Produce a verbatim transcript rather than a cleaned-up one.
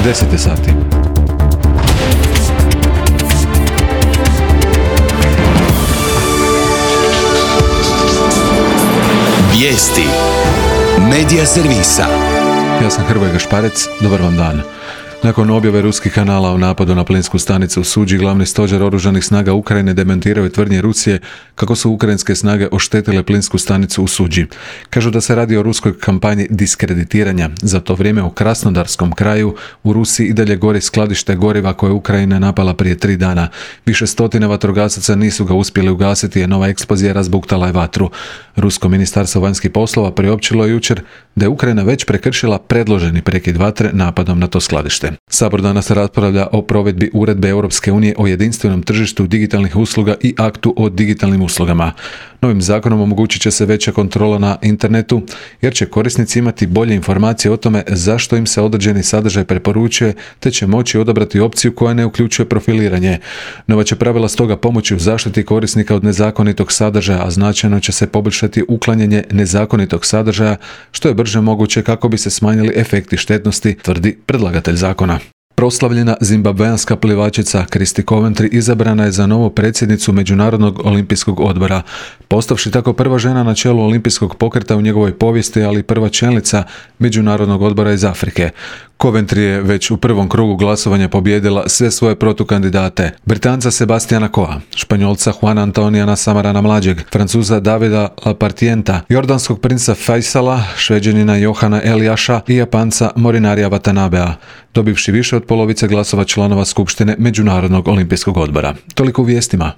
deset je sati. Vijesti Medija servisa. Ja sam Hrvoje Gašparec, dobar vam dan. Nakon objave ruskih kanala o napadu na plinsku stanicu u Suđi, glavni stožer oružanih snaga Ukrajine demantirao je tvrdnje Rusije kako su ukrajinske snage oštetile plinsku stanicu u Suđi. Kažu da se radi o ruskoj kampanji diskreditiranja. Za to vrijeme u Krasnodarskom kraju u Rusiji i dalje gori skladište goriva koje je Ukrajina napala prije tri dana. Više stotina vatrogasaca nisu ga uspjeli ugasiti, jer nova eksplozija razbuktala je vatru. Rusko ministarstvo vanjskih poslova priopćilo je jučer da je Ukrajina već prekršila predloženi prekid vatre napadom na to skladište. Sabor danas raspravlja o provedbi uredbe Europske unije o jedinstvenom tržištu digitalnih usluga i aktu o digitalnim uslugama. Novim zakonom omogućit će se veća kontrola na internetu, jer će korisnici imati bolje informacije o tome zašto im se određeni sadržaj preporučuje, te će moći odabrati opciju koja ne uključuje profiliranje. Nova će pravila stoga pomoći u zaštiti korisnika od nezakonitog sadržaja, a značajno će se poboljšati uklanjanje nezakonitog sadržaja, što je brže moguće kako bi se smanjili efekti štetnosti, tvrdi predlagatelj zakona. Proslavljena zimbabveanska plivačica Christy Coventry izabrana je za novu predsjednicu Međunarodnog olimpijskog odbora, postavši tako prva žena na čelu olimpijskog pokreta u njegovoj povijesti, ali i prva čelnica Međunarodnog odbora iz Afrike. Coventry je već u prvom krugu glasovanja pobijedila sve svoje protukandidate: Britanca Sebastiana Coa, Španjolca Juana Antonijana Samarana mlađeg, Francuza Davida Lapartienta, Jordanskog princa Faisala, Šveđanina Johana Eliaša i Japanca Morinarija Watanabea, dobivši više od polovice glasova članova Skupštine Međunarodnog olimpijskog odbora. Toliko u vijestima.